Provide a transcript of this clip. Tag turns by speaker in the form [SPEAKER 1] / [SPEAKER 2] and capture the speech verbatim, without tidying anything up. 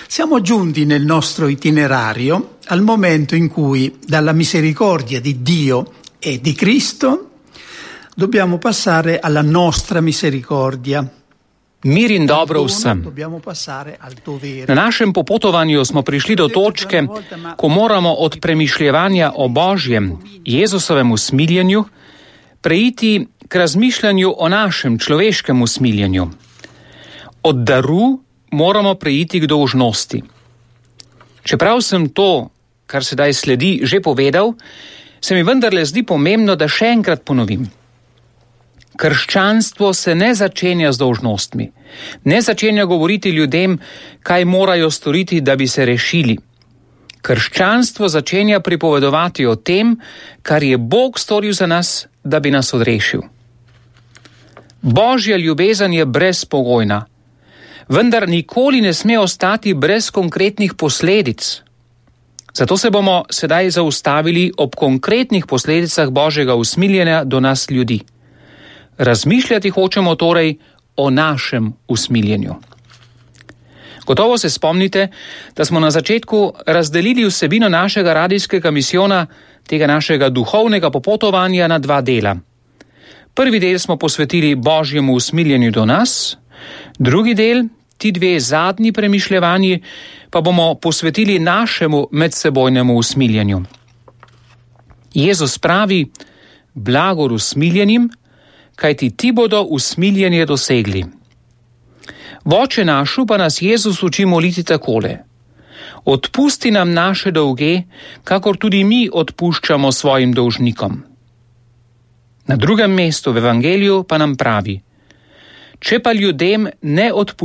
[SPEAKER 1] Siamo giunti nel nostro itinerario al momento in cui dalla misericordia di Dio e di Cristo dobbiamo passare alla nostra misericordia.
[SPEAKER 2] Mir in dobro vsem. Na našem popotovanju smo prišli do točke, ko moramo od premišljevanja o Božjem, Jezusovem usmiljenju, preiti k razmišljanju o našem človeškem usmiljenju. Od daru moramo preiti k dolžnosti. Čeprav sem to, kar sedaj sledi, že povedal, se mi vendarle zdi pomembno, da še enkrat ponovim. Krščanstvo se ne začenja z dolžnostmi. Ne začenja govoriti ljudem, kaj morajo storiti, da bi se rešili. Krščanstvo začenja pripovedovati o tem, kar je Bog storil za nas, da bi nas odrešil. Božja ljubezen je brezpogojna, vendar nikoli ne sme ostati brez konkretnih posledic. Zato se bomo sedaj zaustavili ob konkretnih posledicah Božjega usmiljenja do nas ljudi. Razmišljati hočemo torej o našem usmiljenju. Gotovo se spomnite, da smo na začetku razdelili vsebino našega radijskega misijona, tega našega duhovnega popotovanja na dva dela. Prvi del smo posvetili Božjemu usmiljenju do nas, drugi del, ti dve zadnji premišljevanji, pa bomo posvetili našemu medsebojnemu usmiljenju. Jezus pravi, blagor usmiljenim, kajti ti bodo usmiljenje dosegli. V Oče našu pa nas Jezus uči moliti takole. Odpusti nam naše dolge, kakor tudi mi odpuščamo svojim dolžnikom. Na drugem mestu v Evangeliju pa nam pravi, če pa ljudem ne odpustimo,